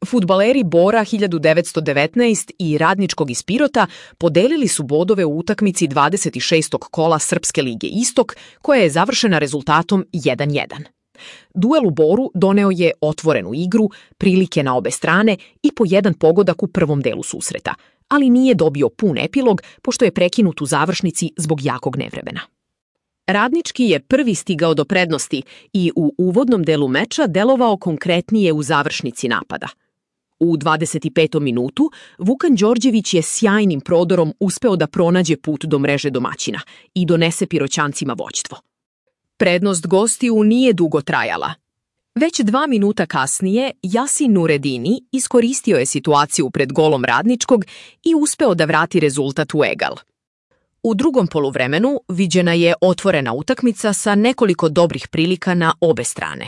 Fudbaleri Bora 1919 i Radničkog iz Pirota podelili su bodove u utakmici 26. kola Srpske lige Istok, koja je završena rezultatom 1:1. Duel u Boru doneo je otvorenu igru, prilike na obe strane i po jedan pogodak u prvom delu susreta, ali nije dobio pun epilog pošto je prekinut u završnici zbog jakog nevremena. Radnički je prvi stigao do prednosti i u uvodnom delu meča delovao konkretnije u završnici napada. U 25. minutu Vukan Đorđević je sjajnim prodorom uspeo da pronađe put do mreže domaćina i donese Piroćancima vođstvo. Prednost gostiju nije dugo trajala. Već 2 minuta kasnije Yasin Nuredini iskoristio je situaciju pred golom Radničkog i uspeo da vrati rezultat u egal. U drugom poluvremenu viđena je otvorena utakmica sa nekoliko dobrih prilika na obe strane.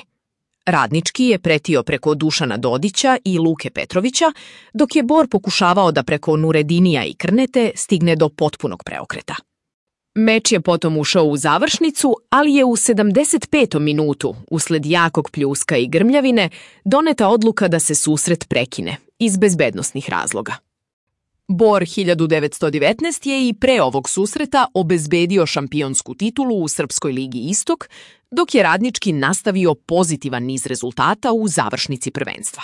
Radnički je pretio preko Dušana Dodića i Luke Petrovića, dok je Bor pokušavao da preko Nuredinija i Krnete stigne do potpunog preokreta. Meč je potom ušao u završnicu, ali je u 75. minutu, usled jakog pljuska i grmljavine, doneta odluka da se susret prekine, iz bezbednosnih razloga. Bor 1919 je i pre ovog susreta obezbedio šampionsku titulu u Srpskoj ligi Istok, dok je Radnički nastavio pozitivan niz rezultata u završnici prvenstva.